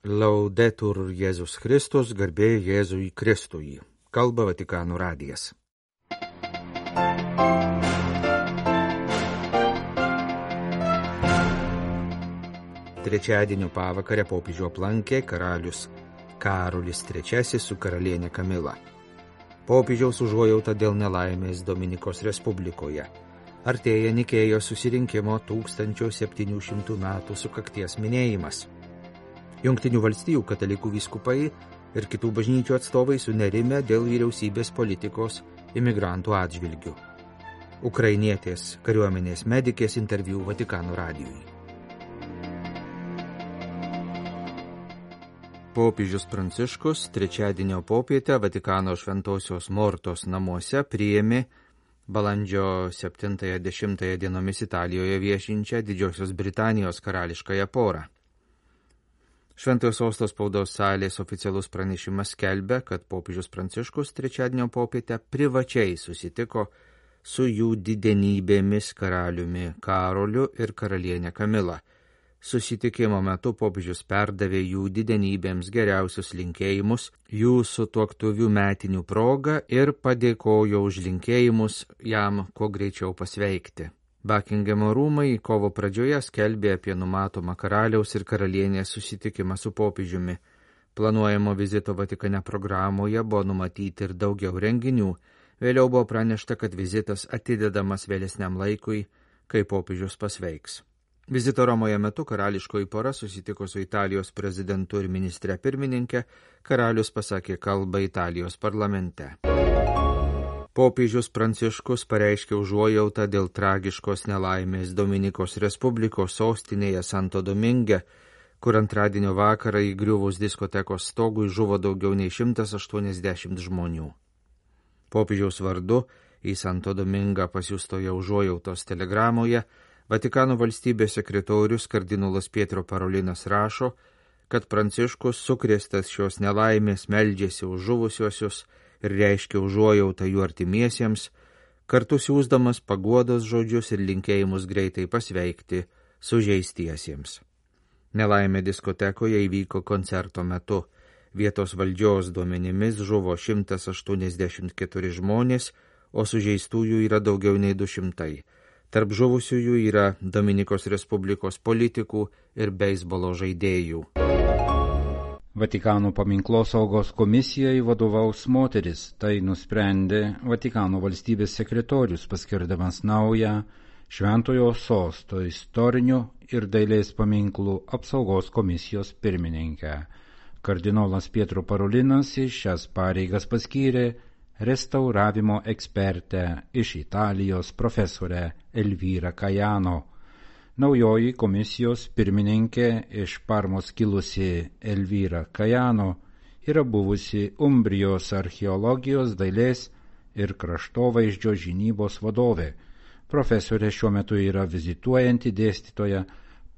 Laudetur Jėzus Kristus, garbė Jėzui Kristui. Kalba Vatikano radijas. Trečiadienio pavakarę popiežių aplankė karalius Karolis III su karalienė Kamila. Popiežiaus užuojauta dėl nelaimės Dominikos Respublikoje. Artėja Nikėjos susirinkimo 1700 metų sukakties minėjimas. Jungtinių valstijų katalikų vyskupai ir kitų bažnyčių atstovai sunerimę dėl vyriausybės politikos imigrantų atžvilgių. Ukrainietės kariuomenės medikės interviu Vatikano radijui. Popiežius Pranciškus trečiadienio popietę Vatikano Šventosios Mortos namuose priėmė balandžio 7-10 dienomis Italijoje viešinčią Didžiosios Britanijos karališkąją porą. Šventojo sosto spaudos salės oficialus pranešimas skelbia, kad popiežius Pranciškus trečiadienio popietę privačiai susitiko su jų didenybėmis karaliumi Karoliu ir karalienė Kamila. Susitikimo metu popiežius perdavė jų didenybėms geriausius linkėjimus jų sutuoktuvių metinių proga ir padėkojo už linkėjimus jam kuo greičiau pasveikti. Bakingemo rūmai kovo pradžioje skelbė apie numatomą karaliaus ir karalienės susitikimą su popiežiumi. Planuojamo vizito Vatikane programoje buvo numatyti ir daugiau renginių. Vėliau buvo pranešta, kad vizitas atidedamas vėlesniam laikui, kai popiežius pasveiks. Vizito Romoje metu karališkoji pora susitiko su Italijos prezidentu ir ministre pirmininkė. Karalius pasakė kalbą Italijos parlamente. Popiežius Pranciškus pareiškė užuojautą dėl tragiškos nelaimės Dominikos Respublikos sostinėje Santo Dominge, kur antradienio vakarą įgriuvus diskotekos stogui žuvo daugiau nei 180 žmonių. Popiežiaus vardu į Santo Domingą pasiųstoje užuojautos telegramoje Vatikano valstybės sekretorius kardinolas Pietro Parolinas rašo, kad Pranciškus sukrėstas šios nelaimės meldžiasi už žuvusiuosius ir reiškia užuojautą jų artimiesiems, kartu siųsdamas paguodos žodžius ir linkėjimus greitai pasveikti sužeistiesiems. Nelaimė diskotekoje įvyko koncerto metu. Vietos valdžios duomenimis žuvo 184 žmonės, o sužeistųjų yra daugiau nei 200. Tarp žuvusiųjų yra Dominikos Respublikos politikų ir beisbolo žaidėjų. Vatikano paminklosaugos komisijai vadovaus moteris, tai nusprendė Vatikano valstybės sekretorius, paskirdamas naują Šventojo sosto istorinių ir dailės paminklų apsaugos komisijos pirmininkę. Kardinolas Pietro Parolinas į šias pareigas paskyrė restauravimo ekspertę iš Italijos profesorę Elvyrą Kajano. Naujoji komisijos pirmininkė iš Parmos kilusi Elvyra Kajano yra buvusi Umbrijos archeologijos, dailės ir kraštovaizdžio žinybos vadovė. Profesorė šiuo metu yra vizituojanti dėstytoja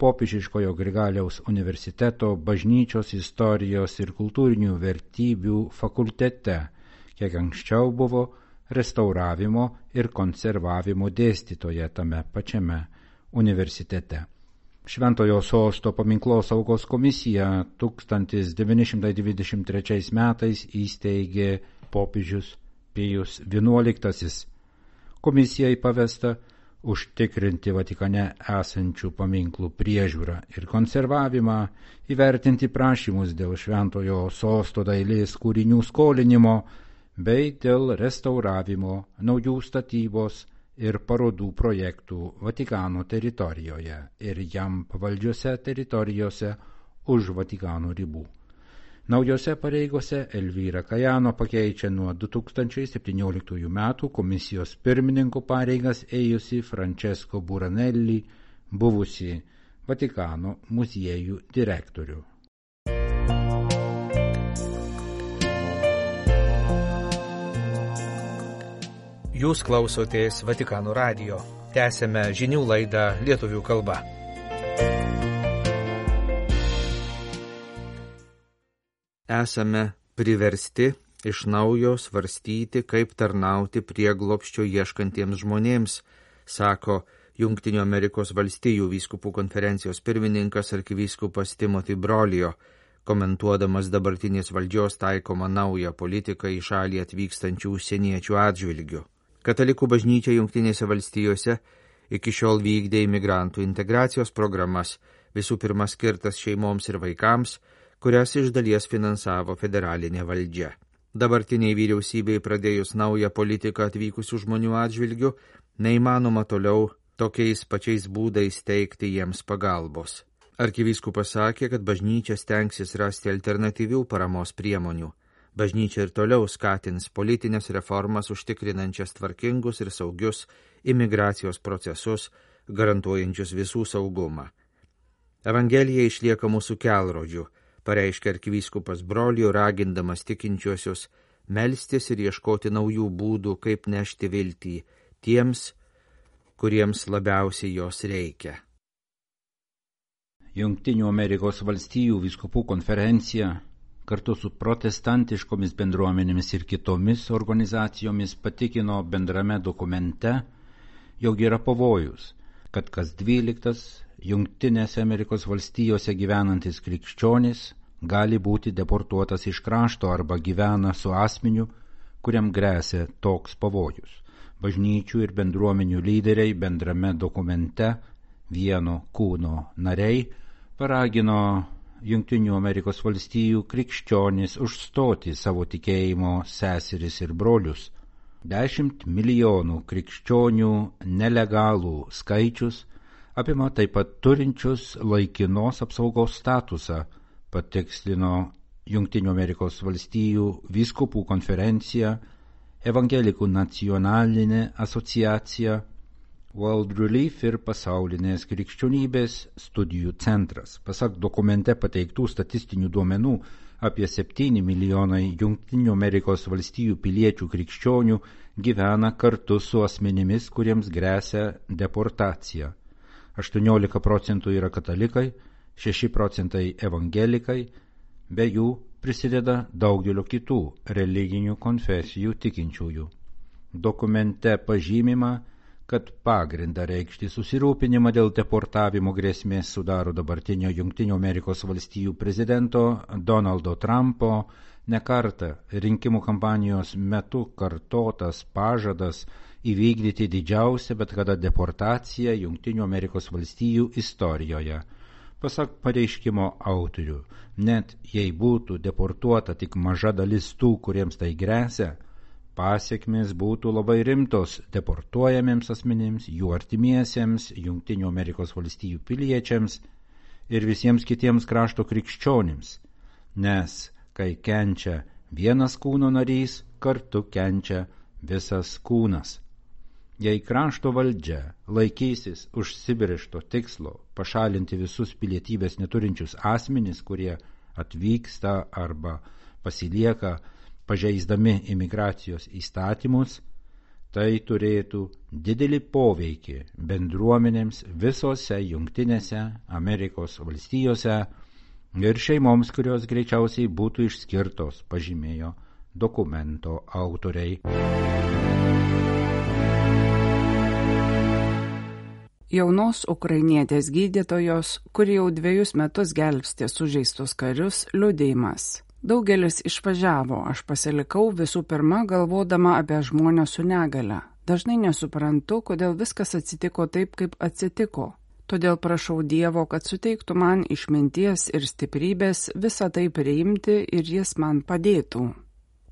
Popiežiškojo Grigaliaus universiteto bažnyčios istorijos ir kultūrinių vertybių fakultete, kiek anksčiau buvo restauravimo ir konservavimo dėstytoja tame pačiame universitete. Šventojo sosto paminklosaugos komisija 1923 metais įsteigė popiežius Pijus XI. Komisijai pavesta užtikrinti Vatikane esančių paminklų priežiūrą ir konservavimą, įvertinti prašymus dėl šventojo sosto dailės kūrinių skolinimo bei dėl restauravimo, naujų statybos ir parodų projektų Vatikano teritorijoje ir jam pavaldžiose teritorijose už Vatikano ribų. Naujose pareigose Elvyra Kajano pakeičia nuo 2017 metų komisijos pirmininko pareigas ėjusi Francesco Buranelli, buvusi Vatikano muziejų direktorių. Jūs klausotės Vatikano radijo. Tęsėme žinių laidą lietuvių kalba. Esame priversti iš naujo svarstyti, kaip tarnauti prieglobsčio ieškantiems žmonėms, sako Jungtinių Amerikos valstijų vyskupų konferencijos pirmininkas arkivyskupas Timothy Brolio, komentuodamas dabartinės valdžios taikomą naują politiką į šalį atvykstančių užsieniečių atžvilgių. Katalikų bažnyčia Jungtinėse valstijose iki šiol vykdė imigrantų integracijos programas, visų pirma skirtas šeimoms ir vaikams, kurias iš dalies finansavo federalinė valdžia. Dabartiniai vyriausybei pradėjus naują politiką atvykusių žmonių atžvilgių, neįmanoma toliau tokiais pačiais būdais teikti jiems pagalbos. Arkivyskupas sakė, kad bažnyčia stengsis rasti alternatyvių paramos priemonių. Bažnyčia ir toliau skatins politinės reformas užtikrinančias tvarkingus ir saugius imigracijos procesus, garantuojančius visų saugumą. Evangelija išlieka mūsų kelrodžiu, pareiškia arkivyskupas Brolių, ragindamas tikinčiuosius melstis ir ieškoti naujų būdų, kaip nešti viltį tiems, kuriems labiausiai jos reikia. Jungtinių Amerikos valstijų vyskupų konferencija kartu su protestantiškomis bendruomenėmis ir kitomis organizacijomis patikino bendrame dokumente, jog yra pavojus, kad kas 12 Jungtinėse Amerikos valstijose gyvenantis krikščionis gali būti deportuotas iš krašto arba gyvena su asmeniu, kuriam gresia toks pavojus. Bažnyčių ir bendruomenių lyderiai bendrame dokumente Vieno kūno nariai paragino Jungtinių Amerikos valstijų krikščionis užstoti savo tikėjimo seseris ir brolius. 10 milijonų krikščionių nelegalų skaičius apima taip pat turinčius laikinos apsaugos statusą, patikslino Jungtinių Amerikos valstijų vyskupų konferencija, Evangelikų nacionalinė asociacija, World Relief ir pasaulinės krikščionybės studijų centras. Pasak dokumente pateiktų statistinių duomenų, apie 7 milijonai Jungtinių Amerikos valstijų piliečių krikščionių gyvena kartu su asmenimis, kuriems gresia deportacija. 18% yra katalikai, 6% evangelikai, be jų prisideda daugelio kitų religinių konfesijų tikinčiųjų. Dokumente pažymima, kad pagrindą reikšti susirūpinimą dėl deportavimo grėsmės sudaro dabartinio Jungtinių Amerikos valstijų prezidento Donaldo Trumpo nekartą rinkimų kampanijos metu kartotas pažadas įvykdyti didžiausią bet kada deportaciją Jungtinių Amerikos valstijų istorijoje. Pasak pareiškimo autorių, net jei būtų deportuota tik maža dalis tų, kuriems tai gresia, pasiekmės būtų labai rimtos deportuojamiems asmenims, jų artimiesiems, Jungtinių Amerikos valstijų piliečiams ir visiems kitiems krašto krikščionims, nes kai kenčia vienas kūno narys, kartu kenčia visas kūnas. Jei krašto valdžia laikysis užsibrėžto tikslo pašalinti visus pilietybės neturinčius asmenis, kurie atvyksta arba pasilieka pažeisdami imigracijos įstatymus, tai turėtų didelį poveikį bendruomenėms visose Jungtinėse Amerikos valstijose ir šeimoms, kurios greičiausiai būtų išskirtos, pažymėjo dokumento autoriai. Jaunos ukrainietės gydytojos, kuri jau 2 metus gelbstė sužeistus karius, liudijimas. Daugelis išvažiavo, aš pasilikau visų pirma galvodama apie žmonės su negale. Dažnai nesuprantu, kodėl viskas atsitiko taip, kaip atsitiko. Todėl prašau Dievo, kad suteiktų man išminties ir stiprybės visą tai priimti ir jis man padėtų.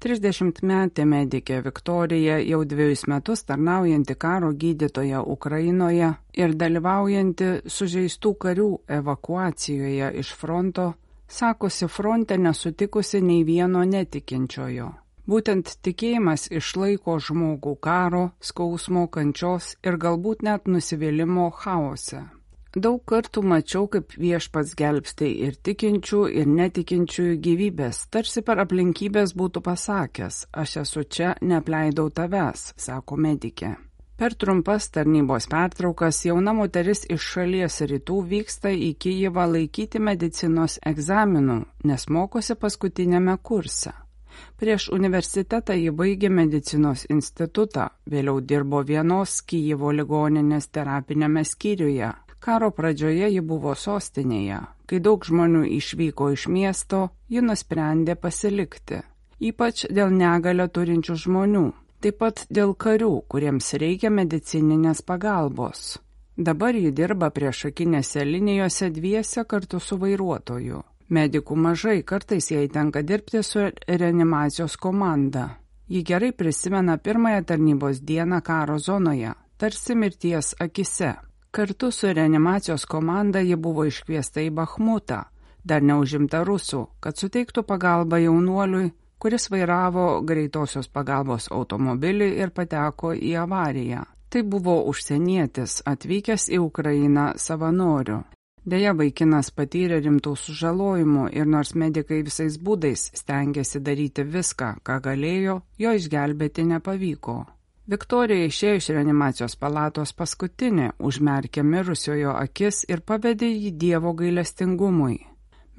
30-metė medikė Viktorija, jau 2 metus tarnaujanti karo gydytoja Ukrainoje ir dalyvaujanti sužeistų karių evakuacijoje iš fronto, sakosi fronte nesutikusi nei vieno netikinčiojo. Būtent tikėjimas išlaiko žmogų karo, skausmo, kančios ir galbūt net nusivylimo chaose. Daug kartų mačiau, kaip Viešpats gelbsti ir tikinčių, ir netikinčiųjų gyvybės, tarsi per aplinkybės būtų pasakęs, aš esu čia, neapleidau tavęs, sako medikė. Per trumpas tarnybos pertraukas jauna moteris iš šalies rytų vyksta į Kijevą laikyti medicinos egzaminų, nes mokosi paskutinėme kurse. Prieš universitetą ji baigė medicinos institutą, vėliau dirbo vienos Kijevo ligoninės terapinėme skyriuje. Karo pradžioje ji buvo sostinėje. Kai daug žmonių išvyko iš miesto, ji nusprendė pasilikti. Ypač dėl negalę turinčių žmonių. Taip pat dėl karių, kuriems reikia medicininės pagalbos. Dabar ji dirba priešakinėse linijose dviese kartu su vairuotoju. Medikų mažai, kartais jai tenka dirbti su reanimacijos komanda. Ji gerai prisimena pirmąją tarnybos dieną karo zonoje, tarsi mirties akise. Kartu su reanimacijos komanda ji buvo iškviesta į Bachmutą, dar neužimta rusų, kad suteiktų pagalbą jaunuoliui, kuris vairavo greitosios pagalbos automobilį ir pateko į avariją. Tai buvo užsienietis, atvykęs į Ukrainą savanoriu. Deja, vaikinas patyrė rimtų sužalojimų ir nors medikai visais būdais stengiasi daryti viską, ką galėjo, jo išgelbėti nepavyko. Viktorija išėjo iš reanimacijos palatos paskutinė, užmerkė mirusiojo akis ir pavedė jį Dievo gailestingumui.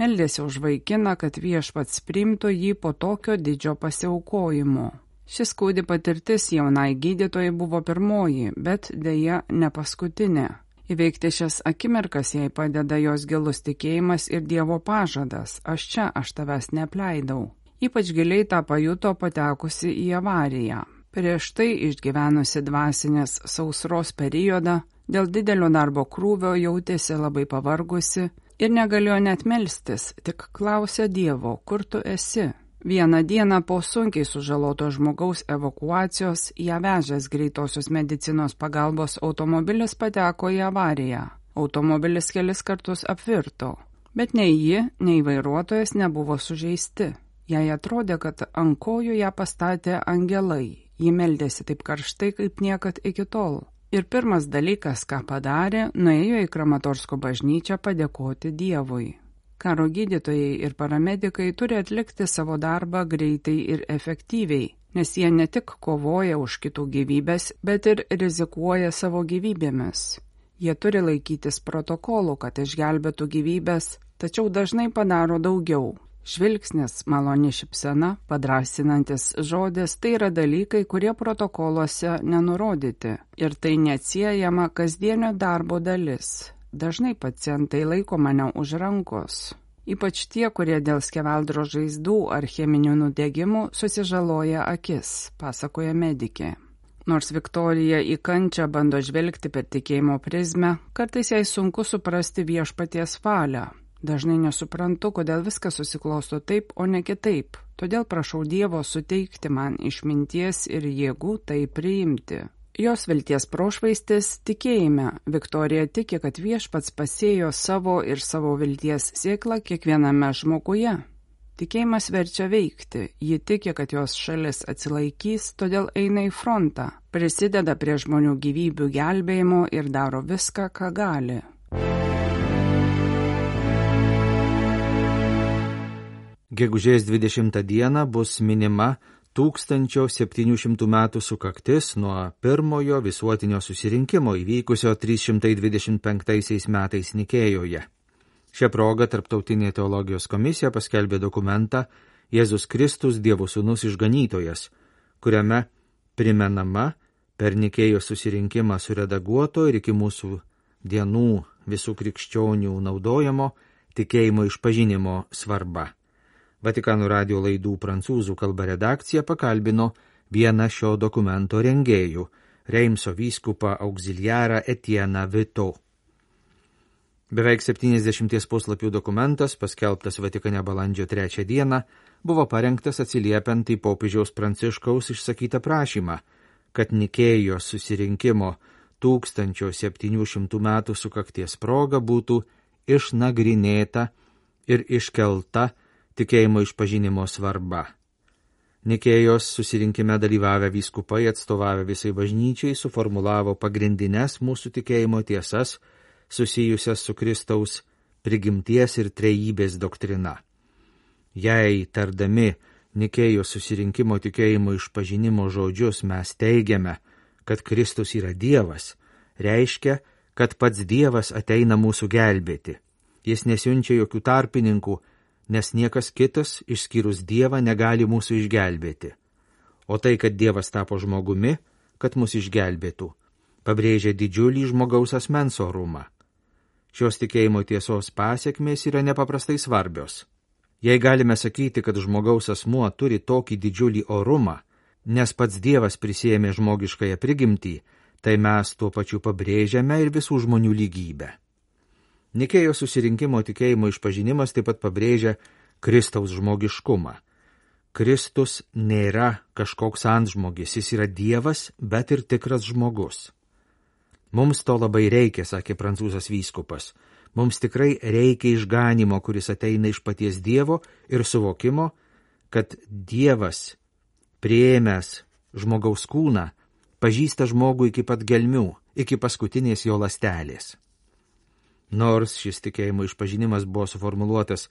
Meldėsi už vaikiną, kad viešpats priimtų jį po tokio didžio pasiaukojimo. Šis skaudi patirtis jaunai gydytojai buvo pirmoji, bet deja ne paskutinė. Įveikti šias akimirkas jai padeda jos gilus tikėjimas ir Dievo pažadas, aš tavęs neapleidau. Ypač giliai tą pajuto patekusi į avariją. Prieš tai išgyvenusi dvasinės sausros periodą, dėl didelio darbo krūvio jautėsi labai pavargusi ir negalėjo net melstis, tik klausė Dievo, kur tu esi. Vieną dieną po sunkiai sužaloto žmogaus evakuacijos ją vežęs greitosios medicinos pagalbos automobilis pateko į avariją. Automobilis kelis kartus apvirto, bet nei ji, nei vairuotojas nebuvo sužeisti. Jai atrodė, kad ant kojų ją pastatė angelai. Ji meldėsi taip karštai, kaip niekad iki tol. Ir pirmas dalykas, ką padarė, nuėjo į Kramatorsko bažnyčią padėkoti Dievui. Karo gydytojai ir paramedikai turi atlikti savo darbą greitai ir efektyviai, nes jie ne tik kovoja už kitų gyvybės, bet ir rizikuoja savo gyvybėmis. Jie turi laikytis protokolų, kad išgelbėtų gyvybės, tačiau dažnai padaro daugiau. Žvilgsnis, maloni šypsena, padrąsinantis žodis – tai yra dalykai, kurie protokoluose nenurodyti. Ir tai neatsiejama kasdienio darbo dalis. Dažnai pacientai laiko mane už rankos. Ypač tie, kurie dėl skeveldro žaizdų ar cheminių nudegimų susižaloja akis, pasakoja medikė. Nors Viktorija į kančią bando žvelgti per tikėjimo prizmę, kartais jai sunku suprasti viešpaties valią. Dažnai nesuprantu, kodėl viskas susiklosto taip, o ne kitaip. Todėl prašau Dievo suteikti man išminties ir jėgų tai priimti. Jos vilties prošvaistis tikėjime. Viktorija tiki, kad viešpats pasėjo savo ir savo vilties sėklą kiekviename žmoguje. Tikėjimas verčia veikti. Ji tiki, kad jos šalis atsilaikys, todėl eina į frontą. Prisideda prie žmonių gyvybių gelbėjimo ir daro viską, ką gali. Gegužės 20 dieną bus minima 1700 metų sukaktis nuo pirmojo visuotinio susirinkimo įvykusio 325 metais Nikėjoje. Šią progą Tarptautinė teologijos komisija paskelbė dokumentą Jėzus Kristus Dievo Sūnus Išganytojas, kuriame primenama per Nikėjos susirinkimą suredaguoto ir iki mūsų dienų visų krikščionių naudojamo tikėjimo išpažinimo svarba. Vatikano radijo laidų prancūzų kalba redakcija pakalbino vieną šio dokumento rengėjų, Reimso vyskupą auxiliarą Etieną Vito. Beveik 70 puslapių dokumentas, paskelbtas Vatikane balandžio 3 dieną, buvo parengtas atsiliepiant į popiežiaus Pranciškaus išsakytą prašymą, kad Nikėjos susirinkimo 1700 metų sukakties proga būtų išnagrinėta ir iškelta tikėjimo išpažinimo svarba. Nikėjos susirinkime dalyvavę vyskupai atstovavę visai bažnyčiai suformulavo pagrindines mūsų tikėjimo tiesas susijusias su Kristaus prigimties ir trejybės doktrina. Jei tardami Nikėjos susirinkimo tikėjimo išpažinimo žodžius mes teigiame, kad Kristus yra Dievas, reiškia, kad pats Dievas ateina mūsų gelbėti. Jis nesiunčia jokių tarpininkų, nes niekas kitas, išskyrus Dievą, negali mūsų išgelbėti. O tai, kad Dievas tapo žmogumi, kad mus išgelbėtų, pabrėžia didžiulį žmogaus asmens orumą. Šios tikėjimo tiesos pasiekmės yra nepaprastai svarbios. Jei galime sakyti, kad žmogaus asmuo turi tokį didžiulį orumą, nes pats Dievas prisėmė žmogiškąją prigimtį, tai mes tuo pačiu pabrėžiame ir visų žmonių lygybę. Nikėjos susirinkimo tikėjimo išpažinimas taip pat pabrėžia Kristaus žmogiškumą. Kristus nėra kažkoks antžmogis, jis yra Dievas, bet ir tikras žmogus. Mums to labai reikia, sakė prancūzas vyskupas. Mums tikrai reikia išganimo, kuris ateina iš paties Dievo ir suvokimo, kad Dievas, priėmęs žmogaus kūną, pažįsta žmogų iki pat gelmių, iki paskutinės jo ląstelės. Nors šis tikėjimo išpažinimas buvo suformuluotas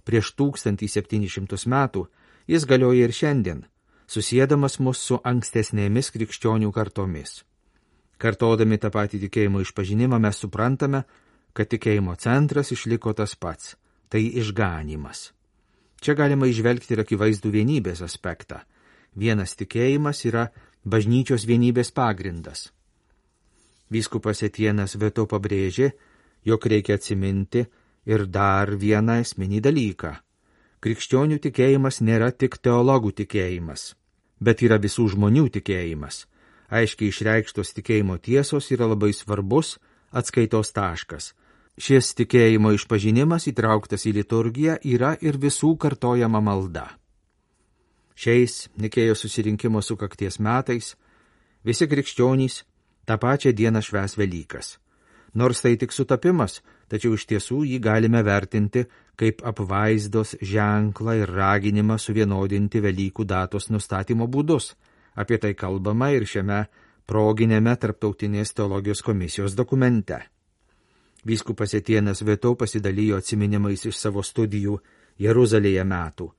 prieš 1700 metų, jis galioja ir šiandien, susiedamas mus su ankstesnėmis krikščionių kartomis. Kartodami tą patį tikėjimo išpažinimą mes suprantame, kad tikėjimo centras išliko tas pats – tai išganymas. Čia galima įžvelgti ir akivaizdų vienybės aspektą. Vienas tikėjimas yra bažnyčios vienybės pagrindas. Vyskupas Etienas Veto pabrėžė, jog reikia atsiminti ir dar vieną esminį dalyką. Krikščionių tikėjimas nėra tik teologų tikėjimas, bet yra visų žmonių tikėjimas. Aiškiai išreikštos tikėjimo tiesos yra labai svarbus atskaitos taškas. Šis tikėjimo išpažinimas įtrauktas į liturgiją yra ir visų kartojama malda. Šiais Nikėjos susirinkimo sukakties metais visi krikščionys tą pačią dieną švęs Velykas. Nors tai tik sutapimas, tačiau iš tiesų jį galime vertinti kaip apvaizdos ženklą ir raginimą suvienodinti Velykų datos nustatymo būdus. Apie tai kalbama ir šiame proginėme Tarptautinės teologijos komisijos dokumente. Vyskupas Etienas Veto pasidalijo atsiminimais iš savo studijų Jeruzalėje metų.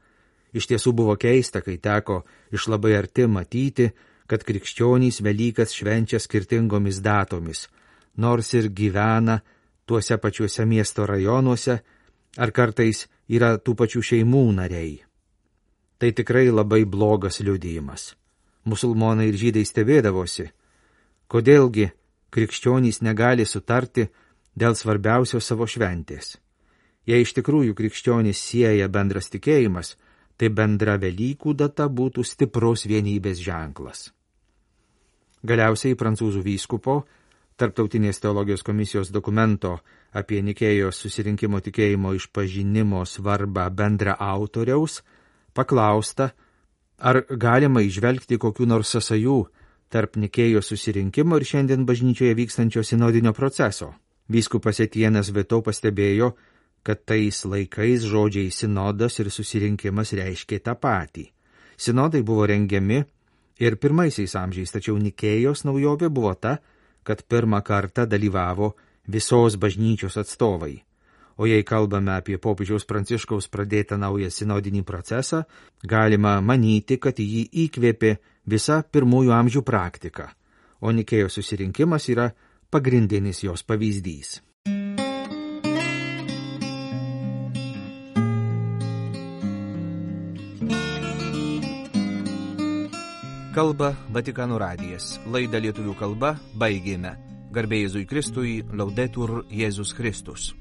Iš tiesų buvo keista, kai teko iš labai arti matyti, kad krikščionys Velykas švenčia skirtingomis datomis, nors ir gyvena tuose pačiuose miesto rajonuose, ar kartais yra tų pačių šeimų nariai. Tai tikrai labai blogas liudijimas. Musulmonai ir žydai stebėdavosi, kodėlgi krikščionys negali sutarti dėl svarbiausios savo šventės. Jei iš tikrųjų krikščionys sieja bendras tikėjimas, tai bendra Velykų data būtų stiprus vienybės ženklas. Galiausiai prancūzų vyskupo Tarptautinės teologijos komisijos dokumento apie Nikėjos susirinkimo tikėjimo išpažinimo svarbą bendra autoriaus paklausta, ar galima įžvelgti kokių nors sąsajų tarp Nikėjos susirinkimo ir šiandien bažnyčioje vykstančio sinodinio proceso. Vyskupas Etienas Veto pastebėjo, kad tais laikais žodžiai sinodas ir susirinkimas reiškė tą patį. Sinodai buvo rengiami ir pirmaisiais amžiais, tačiau Nikėjos naujovė buvo ta, kad pirmą kartą dalyvavo visos bažnyčios atstovai. O jei kalbame apie popiežiaus Pranciškaus pradėtą naują sinodinį procesą, galima manyti, kad jį įkvėpė visa pirmųjų amžių praktika, o Nikėjos susirinkimas yra pagrindinis jos pavyzdys. Kalba Vatikano radijas. Laidą lietuvių kalba baigėme. Garbė Jėzui Kristui, Laudetur Jėzus Kristus.